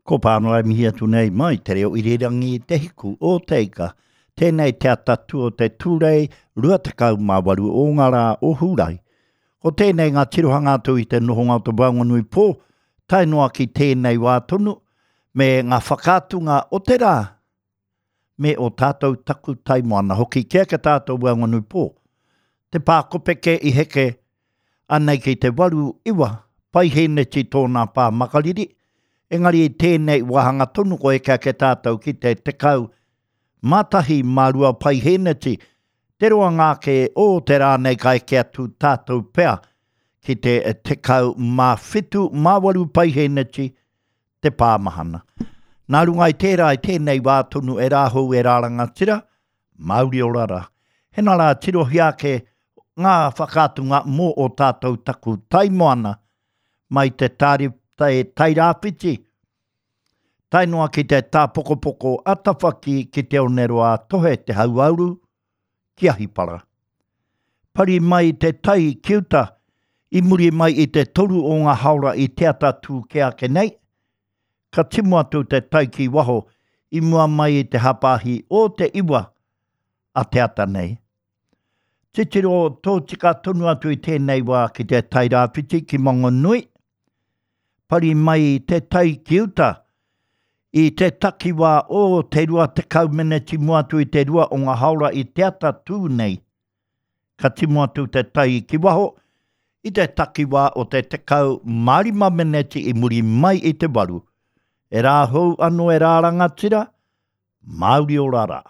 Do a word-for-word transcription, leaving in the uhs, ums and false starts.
Ko Pānoa e mihi atu nei mai te reo irirangi Te Hiku o Te Ika. Tēnei te atatu o te Tūrei rua tekau mā waru o ngā rā o Hūrae. Ko tēnei ngā tirohanga atu i te nohonga o te Waenganui pō, tae noa ki tēnei wā tonu, me ngā whakaatunga o te rā, me o tātou taku taimoana hoki ki ake tātou Waenganui pō. Te pā kopeke i heke anei ki te waru iwa paihēneti tōna pā makariri, engari i tēnei wāhanga tonu ko eke ake tātou ki te tekau mā tahi mā rua paihēneti, te roanga ake o te rā nei ka eke atu tātou pea ki te tekau mā whitu mā waru paihēneti te pāmahana. Nā runga i tērā i tēnei wā tonu e rāhou e rā rangatira, Māori ora rā. Hena rā tirohia ake ngā whakaatunga mō o tātou taku taimoana mai te tāri, tai, Tairāwhiti, tae noa ki te tāpokopoko a Tawhaki ki te Oneroa Tohe te Hauāuru ki Ahipara. Pari mai te tai ki uta, i muri mai i te toru o ngā haora i te ata tū kē ake nei, ka timu atu te tai ki waho i mua mai i te hapāhi o te iwa a te ata nei. Titiro tōtika tonu atu i tēnei wā ki te Tairāwhiti ki Mangonui, pari mai te tai ki uta, i te takiwā o te rua tekau meneti mua atu i te rua o ngā haora i te ata tū nei, ka timu atu te tai ki waho, i te takiwā o te tekau mā rima meneti i muri mai i te waru. E rā hou anō e rā rangatira, Māori ora rā.